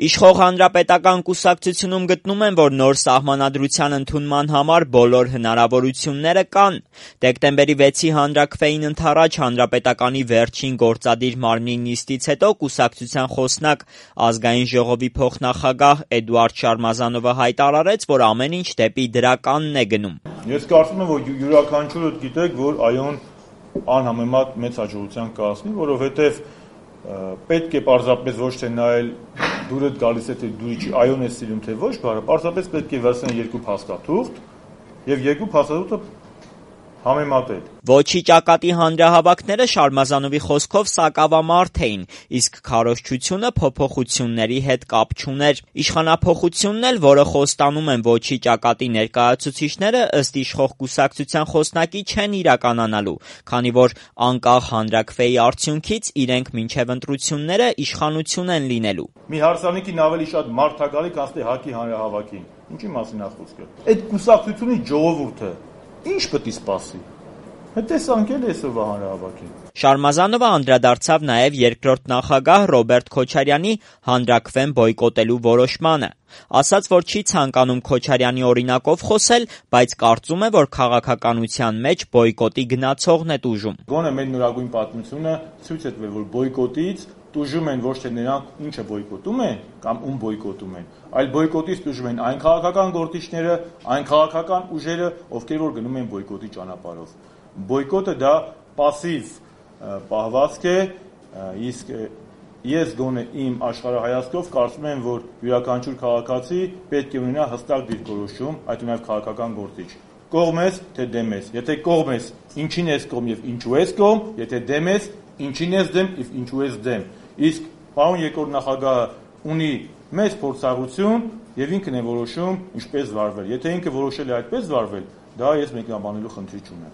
Իշխող հանրապետական կուսակցությունում գտնում են, որ նոր սահմանադրության ընդունման համար բոլոր հնարավորությունները կան։ Դեկտեմբերի 6-ի հանրաքվեին ընդառաջ հանրապետականի վերջին գործադիր մարմնի նիստից հետո կուսակցության խոսնակ Ազգային ժողովի փոխնախագահ Էդուարդ Շարմազանովը հայտարարեց, որ ամեն ինչ դեպի դրականն է գնում։ Ես կարծում եմ, որ յուրաքանչյուրը գիտեք, որ այոն անհամեմատ մեծ հաջողության կհասնի, որովհետև պետք է պարզապես ոչ թե նայել դուրդ գալիս է թե դուրի չի, այոն է սիրում թե ոչ, պարզապես պետք է վերցնել երկու փաստաթուղթ եւ երկու փաստաթուղթը համեմատել։ Ոչի ճակատի հանրահավաքները Շարմազանովի խոսքով սակավամարդ էին, իսկ քարոզչությունը փոփոխությունների հետ կապ չուներ։ Իշխանափոխությունն էլ, որը խոստանում են Ոչի ճակատի ներկայացուցիչները, ըստ իշխող կուսակցության խոսնակի չեն իրականանալու, քանի որ անկախ հանրաքվեի արդյունքից իրենք մինչև ընտրությունները իշխանություն են լինելու։ Մի հարսանիքին ավելի շատ մարդ է գալի, քան թե ՀԱԿ-ի հանրահավաքին։ Ինչի մասին է խոսքը։ Այդ կուսակցությունի ժողովուրդը ինչ պետք է սպասի։ Տեսանք էլ այսօրվա հանրահավաքին։ Շարմազանովը անդրադարձավ նաև երկրորդ նախագահ Ռոբերտ Քոչարյանի հանրաքվեն բոյկոտելու որոշմանը։ Ասաց, որ չի ցանկանում Քոչարյանի օրինակով խոսել, բայց կարծում է, որ քաղաքականության մեջ բոյկոտի գնացողն է տուժում։ Գոնե մեր նորագույն պատմությունը ցույց է տվել, որ բոյկոտից տուժում են ոչ թե նրանք, ինչը բոյկոտում են կամ ում բոյկոտում են, այլ բոյկոտից տուժում են այն քաղաքական գործիչները, այն քաղաքական ուժերը, ովքեր որ գնում են բոյկոտի ճանապարհով։ Բոյկոտը դա пассив պահվածք է, իսկ ես գոնե իմ աշխարհայացքով կարծում եմ, որ յուրաքանչյուր քաղաքացի պետք է ունենա հստակ դիրքորոշում, այդ նաև քաղաքական գործիչ։ Կողմ ես, թե դեմ ես։ Եթե կողմ ես, ինչին ես կողմ եւ ինչու ես կողմ, եթե դեմ ես, ինչին ես դեմ եւ ինչու ես դեմ։ Իսկ պարոն երկրորդ նախագահը ունի մեծ փորձառություն եւ ինքն է որոշում ինչպես վարվել։ Եթե ինքը որոշել է այդպես վարվել, դա ես մեկնաբանելու խնդիր չունեմ։